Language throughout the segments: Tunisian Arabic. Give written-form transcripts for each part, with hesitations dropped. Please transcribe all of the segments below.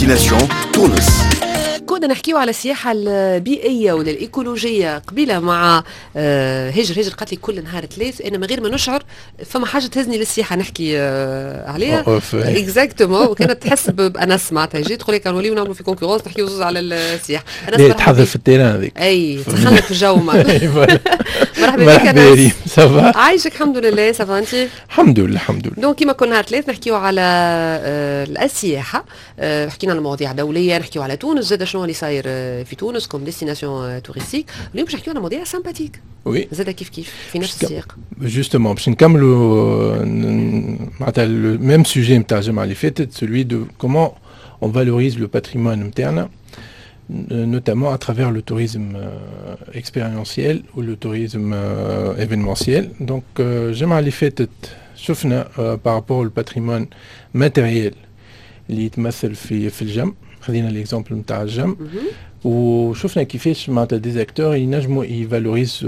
Destination تونس. كنا نحكيو على السياحة البيئية ولا الإيكولوجية قبيلة مع هاجر. هاجر قالت لي كل نهار ثلاث أنا من غير ما نشعر فما حاجة تهزني للسياحة نحكي عليها exactement، وكانت تحس بأنس معناتها جيت تقول لك نوليو نعملوا في concurrence، نحكيو زوز على السياحة. أنس، تحضر في ال terrain هذيك. أي، تخلك في الجو. مرحبا بك. مرحبا، ça va؟ عايشك، الحمد لله، ça va انت؟ الحمد لله، الحمد لله. donc كيما كل نهار ثلاث نحكيو على السياحة، حكينا على مواضيع دولية، نحكيو على تونس زاد، شنو اللي صاير في تونس comme destination touristique. اليوم باش نحكيو على مواضيع sympathiques زاد كيف كيف في نفس السياق. justement باش نكملوا معناتها le même sujet نتاع الجمعة اللي فاتت، celui de comment on valorise le patrimoine نتاعنا، notamment à travers le tourisme expérientiel ou le tourisme événementiel. Donc, الجمعة اللي فاتت شفنا par rapport au patrimoine matériel اللي يتمثل في الجم، خذينا l'exemple نتاع الجم وشفنا كيفاش معناتها des acteurs ينجموا ي valorisent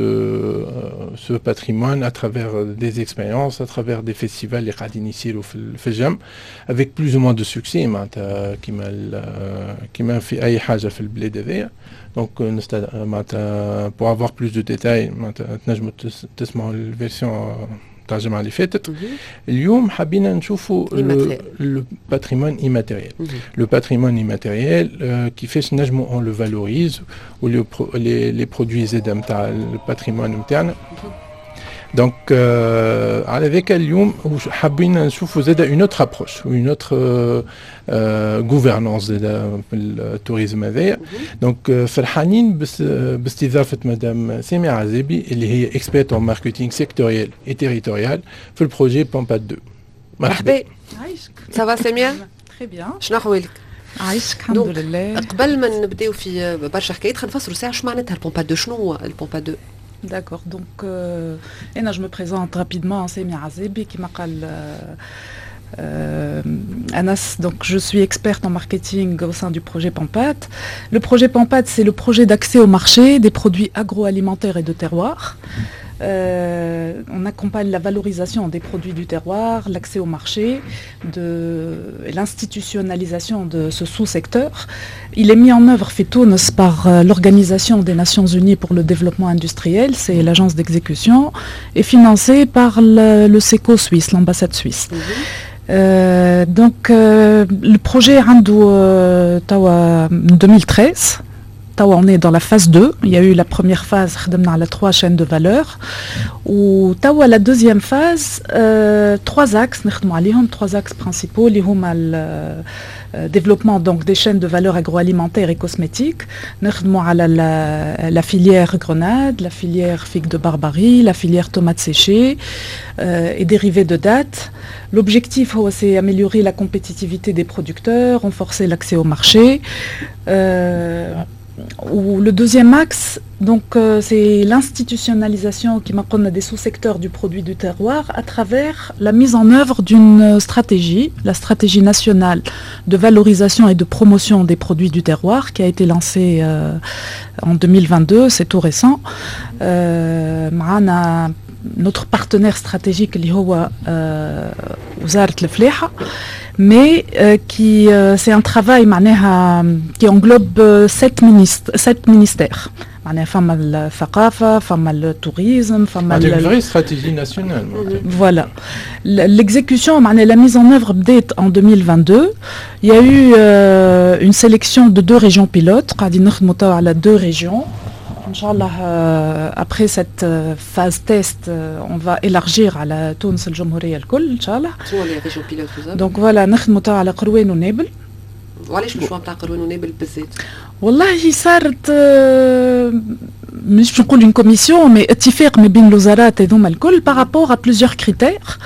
ce patrimoine à travers des expériences، à travers des festivals اللي قاعدين يصيروا في الجم avec plus ou moins de succès، معناتها كيما في اي حاجة في البلاد هذيا. donc معناتها pour avoir plus de détails معناتها تنجموا تسمعوا ال version تاع الجمعة اللي فاتت. اليوم حبينا نشوفوا le patrimoine immatériel، le patrimoine immatériel كيفاش نجموا on le valorise و les produits زاد نتاع ال patrimoine نتاعنا. donc على ذاك اليوم حابين نشوفوا زاد une autre approche، une autre gouvernance زاد في ال tourisme هذايا. donc فرحانين باستضافه مدام سامية عزيبي اللي هي experte en marketing sectoriel et territorial في ال projet PAMPAD 2. مرحبا. عايشك. ça va سامية؟ très bien. شنو احوالك؟ عايشك، الحمد لله. قبل ما نبداو في برشا حكايات خلينا نفسروا ساعة شو معناتها ال PAMPAD 2، شنو هو ال PAMPAD 2؟ D'accord. Donc, أنا je me présente rapidement, Samia Azebi, كيما قال أنس, donc je suis experte en marketing au sein du projet PAMPAD. Le projet PAMPAD, c'est le projet d'accès au marché des produits agroalimentaires et de terroir. On accompagne la valorisation des produits du terroir, l'accès au marché, de l'institutionnalisation de ce sous-secteur. Il est mis en œuvre في تونس par l'Organisation des Nations Unies pour le développement industriel, c'est l'agence d'exécution, et financé par le SECO suisse, l'ambassade suisse. Donc le projet عنده 2013، توا on est dans la phase 2. Il y a eu la première phase, خدمنا على trois chaînes de valeur. و توا la deuxième phase, trois axes, نخدموا عليهم trois axes principaux اللي هما développement donc des chaînes de valeur agroalimentaire et cosmétique. نخدموا على la filière grenade, la filière figue de Barbarie, la filière tomates séchées et dérivés de dattes. L'objectif هو c'est améliorer la compétitivité des producteurs, renforcer l'accès au marché. و le deuxième axe, donc, c'est l'institutionnalisation كيما قلنا des sous-secteurs du produit du terroir à travers la mise en œuvre d'une stratégie, la stratégie nationale de valorisation et de promotion des produits du terroir qui a été lancée en 2022, c'est tout récent. معنا notre partenaire stratégique اللي هو وزارة الفلاحة، mais qui c'est un travail معناها qui englobe sept ministères، معناها فما الثقافة، فما ال tourisme، فما une vraie stratégie nationale. Voilà. L'exécution, معناها la mise en œuvre بدات en 2022. Il y a eu une sélection de deux régions pilotes. قاعدين نخدموا توا على deux régions. إن شاء الله, après cette phase test, on va élargir على تونس الجمهورية الكل إن شاء الله. شنو les régions pilotes بالضبط؟ Donc voilà، نخدموا توا على قروان ونابل. وعلاش ال choix نتاع قروان ونابل بالذات؟ والله صارت مش باش نقول une commission mais اتفاق ما بين الوزارات هذوما الكل par rapport à plusieurs critères.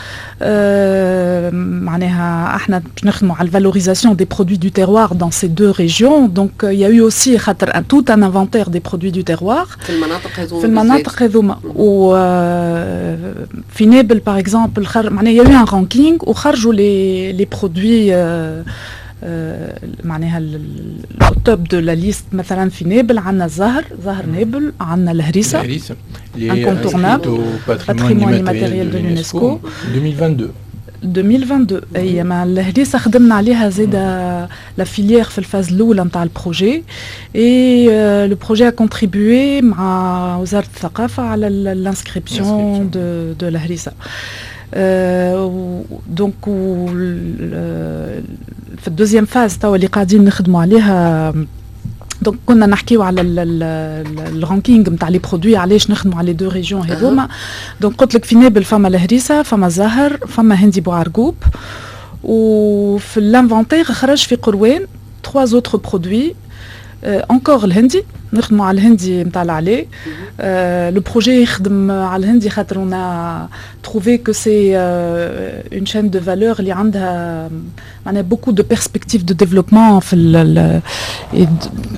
معناها احنا باش نخدموا على ال valorisation des produits du terroir dans ces deux régions، donc il y a eu aussi خاطر tout un inventaire des produits du terroir في المناطق هذوما. في المناطق هذوما، و في نابل par exemple معناها il y a eu un ranking وخرجوا les produits معناها ال top de la liste. مثلا في نابل عندنا الزهر، زهر نابل، عندنا الهريسه. الهريسه incontournable، patrimoine immatériel de l'UNESCO. 2022. 2022. اي، مع الهريسه خدمنا عليها زاده la filière في ال phase الاولى نتاع ال projet، et le projet a contribué مع وزارة الثقافة على l'inscription de الهريسه. donc في ال deuxième phase توا اللي قاعدين نخدموا عليها، donc كنا نحكيو على ال ranking نتاع les produits، علاش نخدموا على les deux régions هذوما. donc قلت لك في نابل فما الهريسه، فما زهر، فما هندي بوعرقوب، وفي l'inventaire خرج في قروان trois autres produits encore. الهندي، نخدموا على الهندي نتاع العلي. le projet يخدم على الهندي خاطر on a trouvé que c'est une chaîne de valeur اللي عندها معناها beaucoup de perspectives de développement في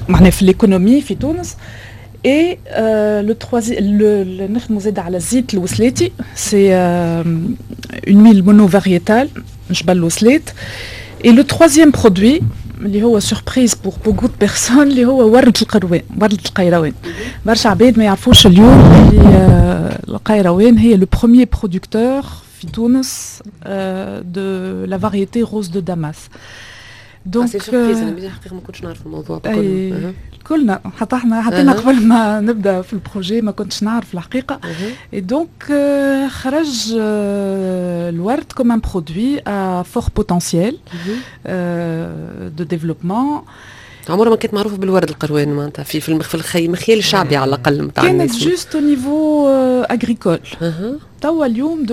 معناها في l'économie في تونس. et le troisième، نخدموا زاد على الزيت الوسلاتي، c'est une huile monovariétale، جبل الوسلات. et le troisième produit اللي هو surprise pour beaucoup de personnes، اللي هو ورد القروان، ورد القيروان. برشا عباد ما يعرفوش اليوم اللي القيروان هي le premier producteur في تونس de la variété rose de Damas. donc c'est surprise، انا الحقيقة ما كنتش نعرف الموضوع. بكل كلنا، حتى احنا، حتى انا قبل ما نبدا في ال projet ما كنتش نعرف الحقيقه. et donc خرج الورد comme un produit à fort potentiel de développement. عمرها ما كانت معروفة بالورد القروان، معناتها في المخيال الشعبي على الاقل. نتاع كانت juste au niveau agricole. توا اليوم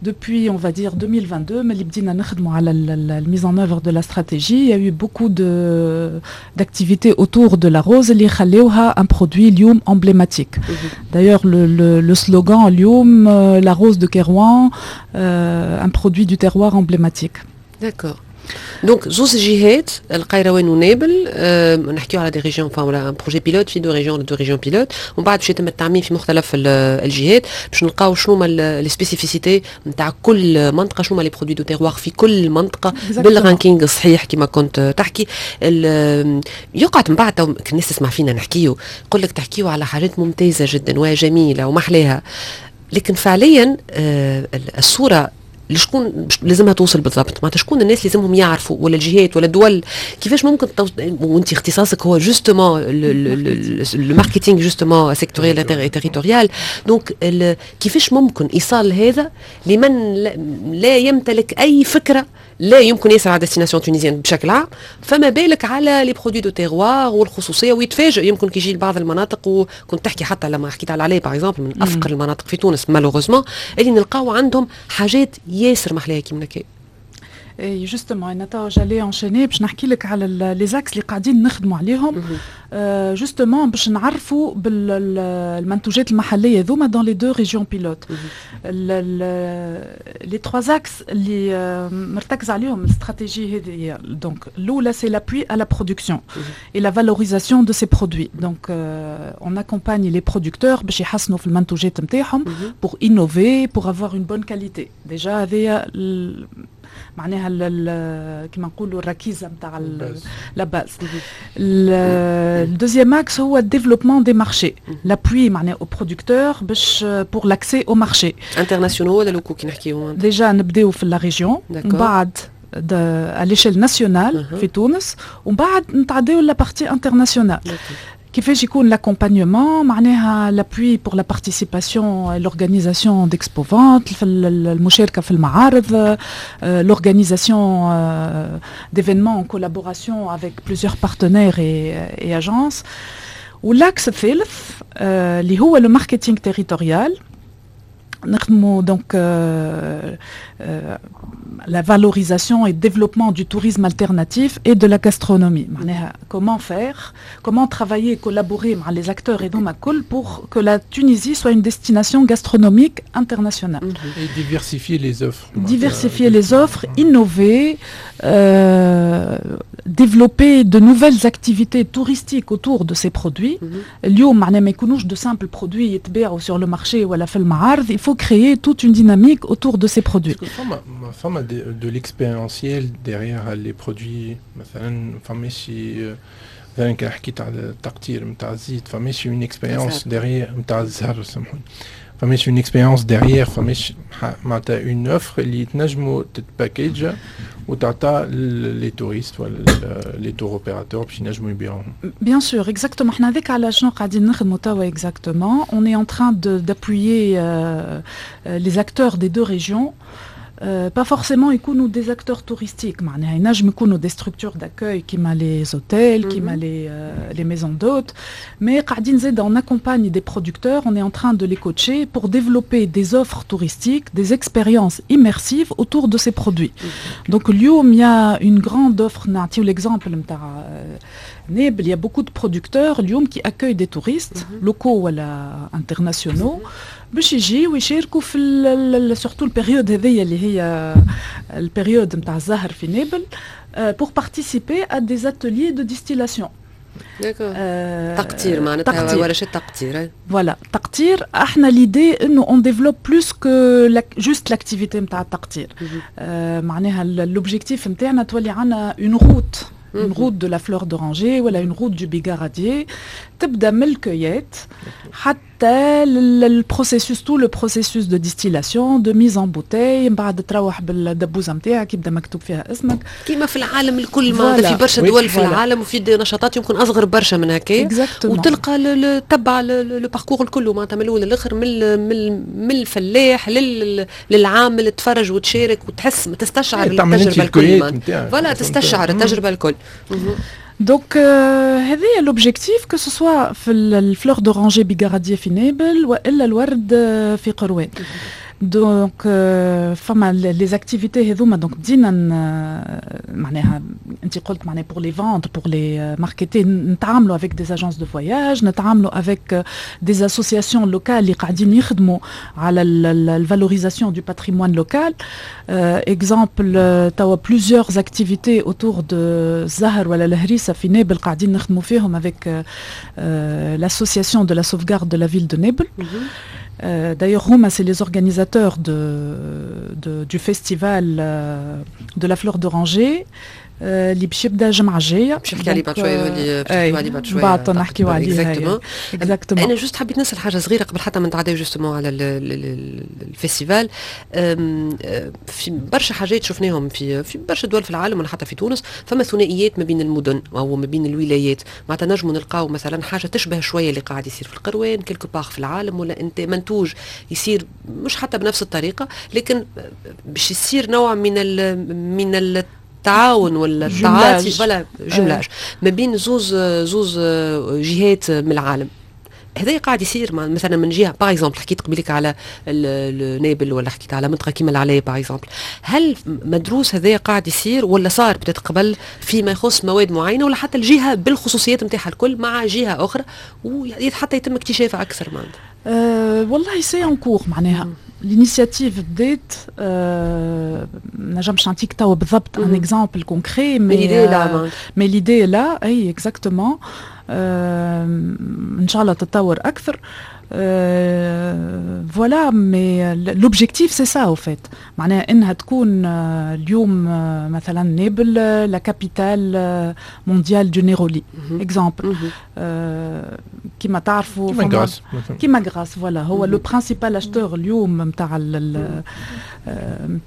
depuis, on va dire, 2022, ملي بدينا نخدموا على la mise en œuvre de la stratégie, il y a eu beaucoup d'activités autour de la rose اللي خلوها un produit اليوم emblématique. D'ailleurs, le slogan اليوم la rose de Kairouan, un produit du terroir emblématique. D'accord. donc زوز جهات، القيروان ونابل، نحكيو على des régions، enfin un projet pilote في deux régions، deux régions pilotes، ومن بعد باش يتم التعميم في مختلف الجهات باش نلقاو شنو هما les spécificités نتاع كل منطقه، شنو هما les produits du terroir في كل منطقة بال ranking الصحيح كما كنت تحكي. يقعد من بعد الناس تسمع فينا نحكيو، يقول لك تحكيو على حاجات ممتازة جدا وجميلة ومحلاها، لكن فعليا الصورة لشكون لازمها توصل بالضبط؟ معناتها شكون الناس اللي لازمهم يعرفوا، ولا الجهات ولا الدول؟ كيفاش ممكن وانت اختصاصك هو justement le marketing justement sectoriel، territorial، donc كيفاش ممكن ايصال هذا لمن لا يمتلك اي فكره، لا يمكن يسأل على destination tunisienne بشكل عام، فما بالك على les produits du terroir والخصوصيه، ويتفاجئ يمكن كي يجي لبعض المناطق؟ وكنت تحكي حتى لما حكيت على العلي par exemple، من افقر المناطق في تونس malheureusement، اللي نلقاو عندهم حاجات ياسر محلاها كيما هكا. اي justement، انا توا j'allais enchaîner باش نحكي لك على les axes اللي قاعدين نخدموا عليهم justement باش نعرفوا بالمنتوجات المحلية ذوما dans les deux régions pilotes. les trois axes اللي مرتكز عليهم الاستراتيجية هذه، donc الاولى c'est l'appui à la production et la valorisation de ces produits. donc on accompagne les producteurs باش يحسنوا في المنتوجات نتاعهم pour innover، pour avoir une bonne qualité. déjà هذه معناها كما نقولوا الركيزة نتاع la base. ال deuxième axe هو ال développement des marchés، l'appui معناها aux producteurs باش pour l'accès aux marchés. internationaux ولا locaux كي نحكيو؟ déjà نبداو في la région، من بعد à l'échelle nationale في تونس، ومن بعد نتعداو la partie internationale. كيفاش يكون l'accompagnement؟ معناها l'appui pour la participation، l'organisation d'expo-vente، في المشاركة في المعارض، l'organisation d'événements en collaboration avec plusieurs partenaires et agences. و l'axe الثالث اللي هو le marketing territorial، نخدموا donc la valorisation et développement du tourisme alternatif et de la gastronomie. معناها comment faire، comment travailler، collaborer مع les acteurs هذوما الكل pour que la Tunisie soit une destination gastronomique internationale. Et diversifier les offres. Diversifier les offres, innover, développer de nouvelles activités touristiques autour de ces produits. اليوم معناها ما يكونوش de simples produits يتباعوا sur le marché ولا في المعارض، il faut créer toute une dynamique autour de ces produits. فما de l'expérientiel derrière les produits؟ مثلا فماشي، مثلا كان حكيت على التقطير نتاع الزيت، فماشي une expérience derrière نتاع الزهر، سامحوني، فماش une expérience derrière، فماش معناتها une offre اللي تنجموا تتباكيج وتعطى les touristes ولا les tour opérateurs باش ينجموا يبيعوهم. Bien sûr, exactement. احنا هذاك على شنو قاعدين نخدموا توا exactement. On est en train d'appuyer les acteurs des deux régions. Pas forcément يكونوا des acteurs touristiques، معناها ينجم يكونوا des structures d'accueil كيما les hôtels، كيما les maisons d'hôtes، mais قاعدين زاد on accompagne des producteurs، on est en train de les coacher pour développer des offres touristiques، des expériences immersives autour de ces produits. Donc اليوم il y a une grande offre. نعطيو l'exemple نتاع نابل، il y a beaucoup de producteurs اليوم qui accueillent des touristes locaux ولا internationaux باش يجيو ويشاركوا في surtout ال période هذيا اللي هي ال période نتاع الزهر في نابل pour participer à des ateliers de distillation. تقطير، معناتها ورشات تقطير. Voilà، تقطير. احنا l'idée انه on développe plus que juste l'activité نتاع التقطير، معناها l'objectif نتاعنا تولي عندنا une route de la fleur d'oranger ولا une route du bigaradier، تبدا من ال cueillette حتى ال processus، tout le processus de distillation، de mise en bouteille، من بعد تروح بالدبوزه نتاعك يبدا مكتوب فيها اسمك. كيما في العالم الكل، معناتها في برشا دول في العالم وفي نشاطات يمكن اصغر برشا من هكا، وتلقى تبع le parcours الكل، معناتها من الاول للاخر، من الفلاح للعامل، تفرج وتشارك وتحس تستشعر التجربة الكل، voilà، تستشعر التجربة الكل. Donc هذا l'objectif، que ce soit في ال fleur d'oranger bigaradier في نابل والا الورد في قروان. Donc فما les activités هذوما. donc بدينا، معناها انت قلت معناها pour les vendre، pour les marketer، نتعاملوا avec des agences de voyage، نتعاملوا avec des associations locales اللي قاعدين يخدموا على ال valorisation du patrimoine local. exemple توا plusieurs activités autour de الزهر ولا الهريسه في نابل قاعدين نخدموا فيهم avec l'association de la sauvegarde de la ville de Nabeul. D'ailleurs، هوما، c'est les organisateurs du festival de la fleur d'oranger اللي باش يبدا الجمعة الجايه. باش نحكي عليه بعد شويه، اللي باش نحكيو عليه بعد شويه. بعد نحكيو عليه. Exactement. انا juste حبيت نسال حاجة صغيرة قبل حتى ما نتعداو justement على ال festival. في برشا حاجات شفناهم في برشا دول في العالم ولا حتى في تونس، فما ثنائيات ما بين المدن او ما بين الولايات، معناتها نجموا نلقاو مثلا حاجة تشبه شوية اللي قاعد يصير في القروان quelque part في العالم، ولا انت منتوج يصير مش حتى بنفس الطريقه، لكن باش يصير نوع من التعاون ولا التعاطي، voilà، jumelage ما بين زوز جهات من العالم. هذا قاعد يصير مثلا من جهه، par exemple حكيت قبيلك على نابل ولا حكيت على منطقة كيما العلايه par exemple، هل مدروس هذا قاعد يصير ولا صار بدات قبل فيما يخص مواد معينة ولا حتى الجهة بالخصوصيات نتاعها الكل مع جهة اخرى وحتى يتم اكتشافها اكثر معناتها؟ والله c'est en cours، معناها l'initiative بدات. نجمش نعطيك توا بالضبط un exemple concret، mais l'idée est là، اي exactement، ان شاء الله تتطور اكثر. voilà، mais l'objectif c'est ça au fait، معناها انها تكون اليوم مثلا نابل la capitale mondiale du néroli، exemple، كيما تعرفوا. كيما غراس. كيما غراس، voilà، هو le principal acheteur اليوم نتاع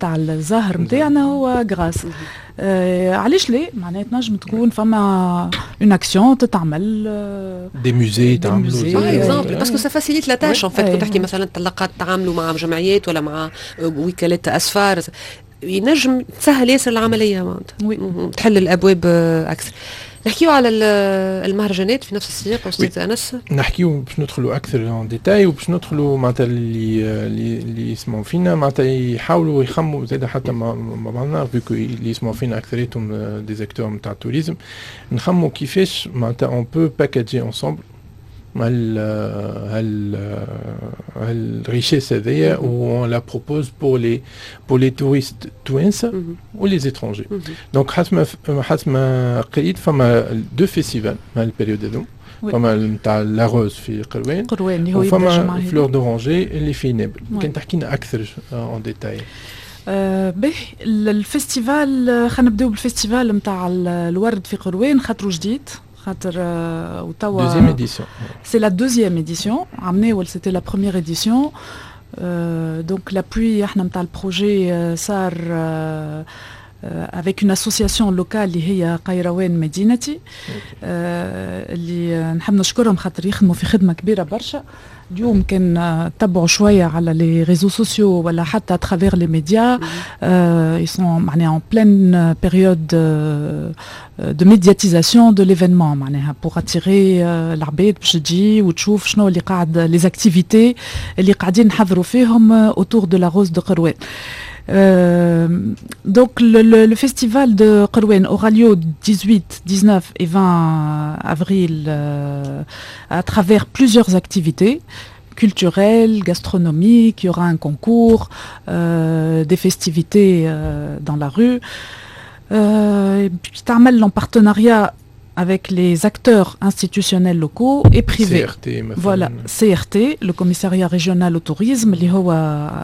الزهر نتاعنا هو غراس. علاش لا؟ معناها تنجم تكون فما une action تتعمل. des musées تعملوا par exemple، parce que ça facilite la tâche en fait. كنت تحكي مثلا تلقى تعاملوا مع جمعيات ولا مع وكالات اسفار، ينجم تسهل ياسر العمليه، معناتها تحل الابواب اكثر. نحكيو على المهرجانات في نفس السياق استاذ انس. نحكيو باش ندخلوا اكثر en détail وباش ندخلوا معناتها اللي يسمعوا فينا معناتها يحاولوا يخموا زاد حتى مع بعضنا، vu que اللي يسمعوا فينا اكثريتهم des acteurs نتاع ال tourisme، نخموا كيفاش معناتها on peut packager ensemble هال richesse هذيا و on la propose pour les touristes توانسة و les étrangers. donc حسب ما قريت فما deux festivals مع ال période هذو، فما نتاع la rose في قروان. قروان اللي هو. وفما fleur d'oranger اللي في نابل. كان تحكي لنا اكثر en détail. به، ال festival، خلينا نبداو بال festival نتاع الورد في قروان خاطرو جديد. خاطر وتوا deuxième édition. C'est la deuxième édition. عمناول c'était la première édition. Donc l'appui احنا نتاع ال projet صار avec une association locale اللي هي قيروان مدينتي، اللي نحب نشكرهم خاطر يخدموا في خدمة كبيرة برشا. اليوم كان تبعوا شوية على les réseaux sociaux ولا حتى à travers les médias, ils sont معناها en pleine période de médiatisation de l'événement، معناها pour attirer العباد باش تجي وتشوف شنو اللي قاعد، les activités اللي قاعدين نحضروا فيهم autour de la rose de Kairouan. Donc le festival de Kairouan aura lieu 18, 19 et 20 avril à travers plusieurs activités culturelles, gastronomiques, il y aura un concours, des festivités dans la rue. Et puis تعمل en partenariat avec les acteurs institutionnels locaux et privés. CRT مثلاً. Voilà, CRT, le commissariat régional au tourisme, اللي هو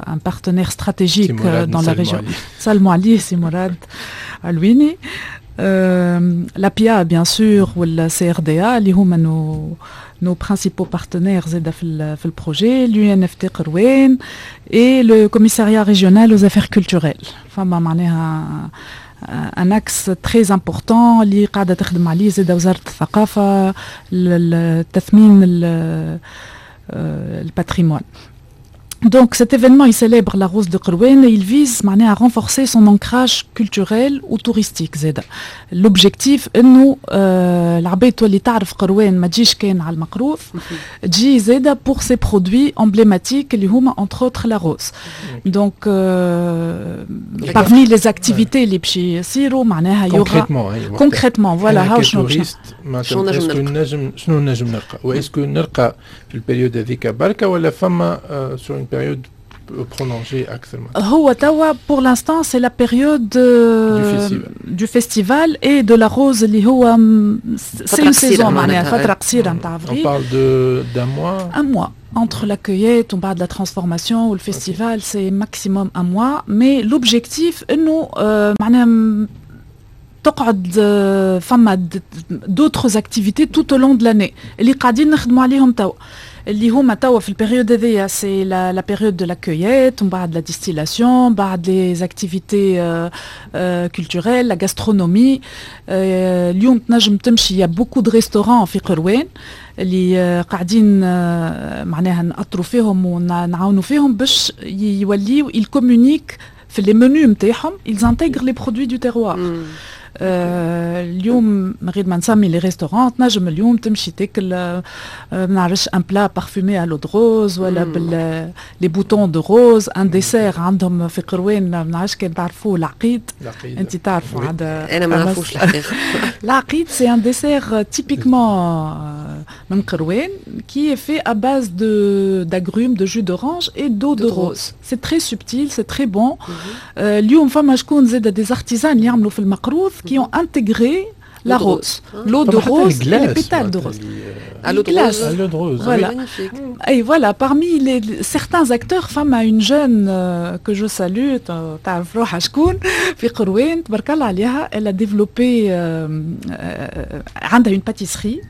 un partenaire stratégique dans la région. سلموا عليه سي مراد علويني. L'APIA bien sûr وال CRDA اللي هما nos principaux partenaires زاده في ال projet, l'UNFT قروان et le commissariat régional aux affaires culturelles. فما معناها un axe très important اللي قاعدة تخدم عليه زاده وزارة الثقافه، التثمين ال patrimoine. Donc cet événement, il célèbre la rose de Kairouan et il vise معناها à renforcer son ancrage culturel ou touristique زاده. L'objectif انه العباد تولي تعرف قروان، ما تجيش كان على المقروض، تجي زاده pour ses produits emblématiques اللي هما entre autres la rose. Donc parmi les activités اللي باش يصيروا معناها il y aura concrètement, voilà. هاو شنو نجم شنو نجم نلقى، و est-ce que نلقى في ال période هذيك بركة ولا فما sur une période prolongée أكثر؟ هو توا pour l'instant c'est la période du festival et de la rose اللي هو c'est une saison، معناها فترة قصيرة نتاع افريل. On parle de d'un mois. Un mois entre la cueillette ومن بعد la transformation ou le festival, c'est maximum un mois, mais l'objectif انه معناها تقعد فما d'autres activités tout au long de l'année اللي قاعدين نخدموا عليهم توا، اللي هما توا في ال période هذيا c'est la période de la cueillette ومن بعد la distillation، بعد les activités culturelles, la gastronomie. اليوم تنجم تمشي، y a beaucoup de restaurants في قروان اللي قاعدين معناها نأطروا فيهم ونعاونوا فيهم باش يوليو ils communiquent في les menus نتاعهم، ils intègrent les produits du terroir. اليوم من غير ما نسمي les restaurants، تنجم اليوم تمشي تاكل ما نعرفش un plat parfumé à l'eau de rose ولا بال les boutons de rose, un dessert عندهم في قروان، ما نعرفش كان تعرفوه، العقيد. انت تعرفوا عاد. انا ما نعرفوش الحقيقه. العقيد c'est un dessert typiquement من قروان qui est fait à base de d'agrumes, de jus d'orange et d'eau de rose. C'est très subtil, c'est très bon. اليوم فما شكون زاد des artisans يعملوا في المقروض qui ont intégré la rose, l'eau de rose et les pétales de rose. À l'eau de rose. À l'eau de rose. Voilà. Et voilà, parmi certains acteurs, فما une jeune que je salue, تعرف روحها شكون، في قروان، تبارك الله عليها, elle a développé عندها une pâtisserie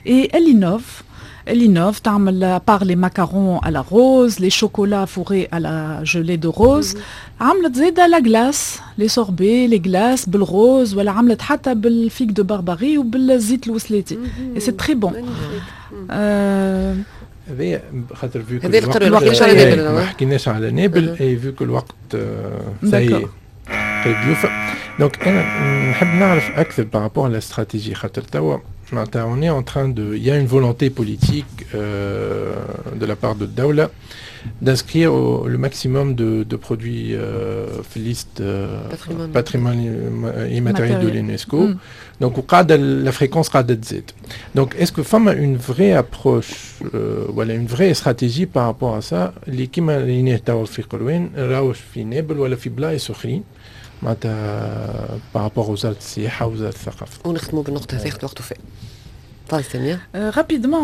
et elle innove. Elle innove, تعمل par les macarons à la rose, les chocolats fourrés à la gelée de rose. عملت زيادة la glace, les sorbets, les glaces بال rose ولا عملت حتى بال figue de barbarie وبالزيت الوسلاتي. Et c'est très bon. هذايا خاطر vu هذا الوقت ما حكيناش على نابل et vu que الوقت ça y est قريب يوفى، donc انا نحب نعرف اكثر par rapport à la stratégie، خاطر توا on est en train de, il y a une volonté politique de la part de الدولة d'inscrire le maximum de produits في liste patrimoine immatériel de l'UNESCO. Donc, la fréquence قاعدة تزيد. Donc, est-ce que فما une vraie approche ولا une vraie stratégie par rapport à ça اللي كيما اللي توا في قروان راوش في نابل ولا في بلايص اخرين، معناتها par rapport وزارة السياحة ووزارة الثقافة؟ ونختموا بالنقطة هذه، وقت وفاء. تفضل سامية. Rapidement,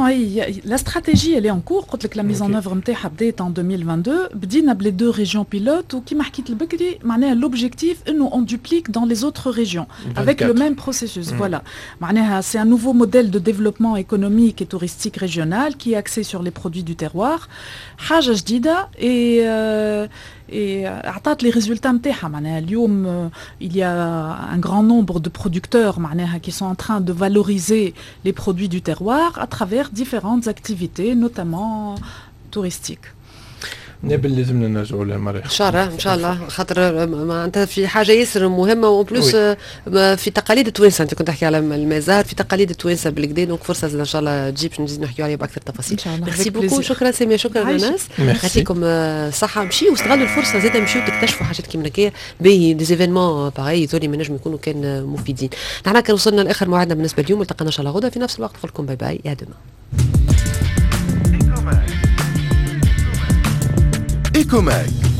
la stratégie elle est en cours. قلت لك la mise en œuvre نتاعها بدات en 2022. بدينا ب les deux régions pilotes، وكيما حكيت البكري معناها l'objectif انه on duplique dans les autres régions avec le même processus. Voilà. معناها c'est un nouveau modèle de développement économique et touristique régional qui est axé sur les produits du terroir. حاجة جديدة et عطات les résultats نتاعها. معناها اليوم il y a un grand nombre de producteurs معناها qui sont en train de valoriser les produits du terroir à travers différentes activités, notamment touristiques. نابل لازمنا نرجعوا لها مرة. ان شاء الله، ان شاء الله، خاطر معناتها في حاجة ياسر مهمة و en plus في تقاليد التوانسه، انت كنت تحكي على المزار، في تقاليد التوانسة بالقدا، donc فرصة ان شاء الله تجيب باش نزيد نحكيو عليها باكثر تفاصيل. ان شاء الله. merci beaucoup، شكرا ساميه، شكرا انس، يعطيكم الصحه. مشيو واستغلوا الفرصة زاده، مشيو تكتشفوا حاجات كيما هكايا باهي، des événements pareils ذولي ما نجم يكونوا كان مفيدين. نحن كان وصلنا لاخر موعدنا بالنسبة اليوم، التقينا ان شاء الله غدا في نفس الوقت. نقول لكم bye bye، à demain. Ecomag.